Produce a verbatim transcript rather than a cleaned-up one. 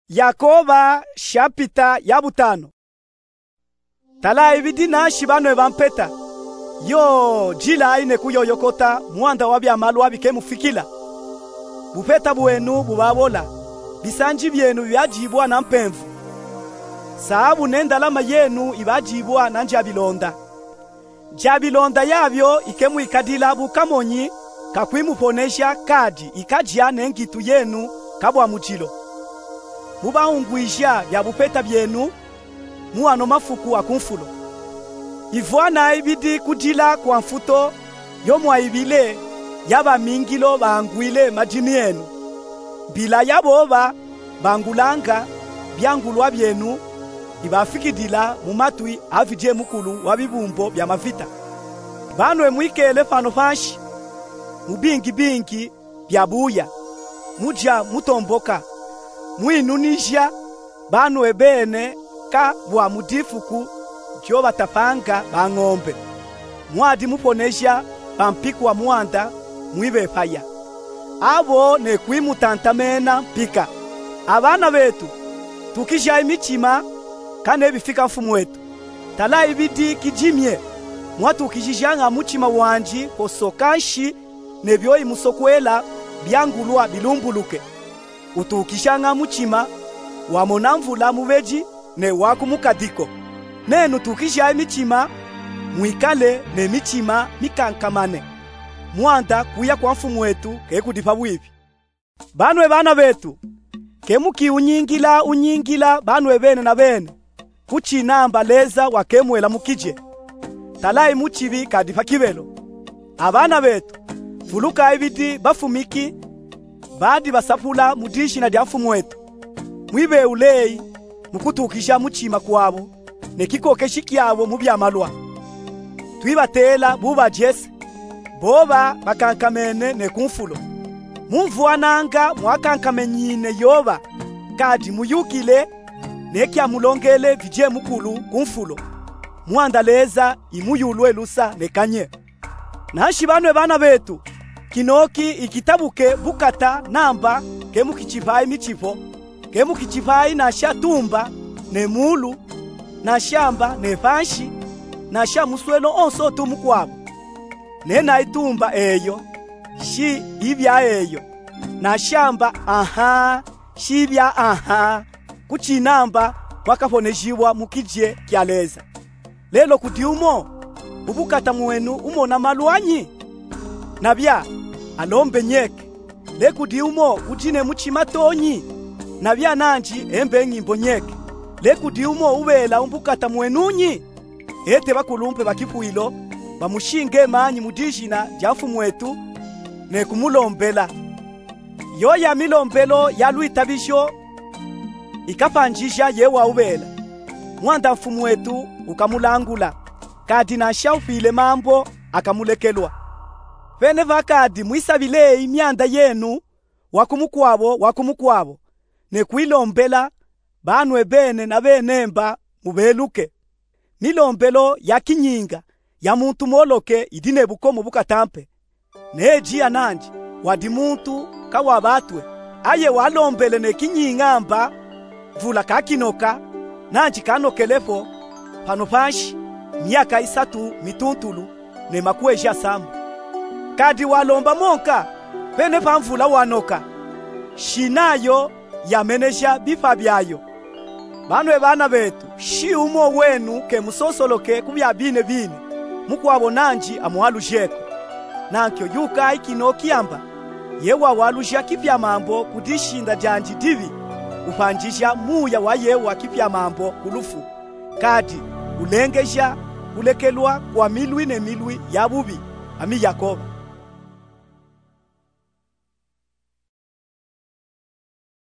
Yakoba, shapita ya butanu. Talayi bidi nanshi banwe bampeta. Yo, dilayi ne kuyoyokota mwanda wa byamalwa bikemufikila. Bupeta bwenu bubabola, bisanji byenu byadibwa na mpemvu. Sahabu ne ndalama yenu ibadibwa na ndyabilonda. Ndyabilonda yabyo ikemwikadila bukamonyi, kakwimuponeja kadi ikadya ne ngitu yenu kabwa mudilo. Mubahungwija bya bupeta byenu mu ano mafuku a ku nfulo. Ivwanayi bidi kudila kwa mfuto yo mwayibile ya bamingilo bahangwile madini enu. Mbila ya boba bangulanga byangulwa byenu ibafikidila mu matwi a Vidyemukulu wa bibumbo bya mavita. Banwe mwikele pano panshi mu bingibingi bya buya, mudya mutomboka, mwinunija banwe bene ka bwa mu difuku dyo batapanga bang'ombe. Mwadi muponeja bampikwa mwanda mwibepaya. Abo ne kwimutantamena mpika. Abana betu, tukijayi mitima, ka nebifika mfumwetu. Talayi bidi kidimye, mwatukijijanga mutima wandi posoka nshi ne byo imusokwela byangulwa bilumbuluke. Utukijanga mutima wamona mvula mubedi ne wa ku mukadiko. Nenu tukijayi mitima, mwikale ne mitima mikankamane. Mwanda kuya kwa mfumwetu kekudi pabwibi. Banwe bana betu, kemukiunyingila unyingila banwe bene na bene, kucinamba Leza wakemwela mukidye. Talayi mucibi kadi pa kibelo. Abana betu, vulukayi bidi bafumiki badi basapula mu dijina dya mfumwetu. Mwibeuleyi mukutukija mutima kwabo ne kikokeshi kyabo mu byamalwa. Twibatela bubadyese, boba bakankamene ne ku nfulo. Mumvwananga mwakankamenyine yoba, kadi muyukile ne kyamulongele Vidyemukulu ku nfulo. Mwanda Leza imuyulwe lusa ne kanye. Nanshi banwe bana betu, kinoki ikitabuke bukata namba kemukicipayi micipo, kemukicipayi nasha tumba ne mulu, nasha mba ne panshi, nasha muswelo onso tu mukwabo. Nenayi tumba eyo, shi ibya eyo, nasha mba aha, shi ibya aha, kucinamba mwakaponejibwa mukidye kya Leza. Lelo kudi umo ubukata mwenu umona malu anyi? Nabya, alombe nyeke. Le kudi umo udi ne mucima tonyi? Nabya nanji embe ngimbo nyeke. Le kudi umo ubela umbukata mwenu nyi? Ete bakulumpe ba kipwilo bamushinge manyi mu dijina dya mfumwetu ne kumulombela. Yoya milombelo ya lwitabisho ikapanjija ye waubela. Mwanda mfumwetu ukamulangula, kadi nasha ufwile mambo akamulekelwa. Pene pa kadi mwisabileyi myanda yenu wa ku mukwabo wa ku mukwabo, ne kwilombela banwe bene na bene mba mubeluke. Milombelo ya kinyinga ya muntu moloke idi ne bukomo bukatampe. Nejiya nanji wadi muntu kawabatwe, aye walombele ne kinyinga mba mvula kakinoka, nanji kanokelepo pano panshi myaka isatu mituntulu ne makweji asamba. Kadi walomba monka, pene pa mvula wanoka. Shinayo yameneja bipa byayo. Banwe bana betu, shi umo wenu kemusosoloke ku bya bine bine, mukwabo nanji amwalujeko. Nankyo yukayi kinoki amba, Yewa waluja kipya mambo ku dishinda dyanji dibi, upanjija muya wa Yewa kipya mambo ku lufu, kadi ulengeja kulekelwa kwa milwi ne milwi ya bubi, ami Yakoba.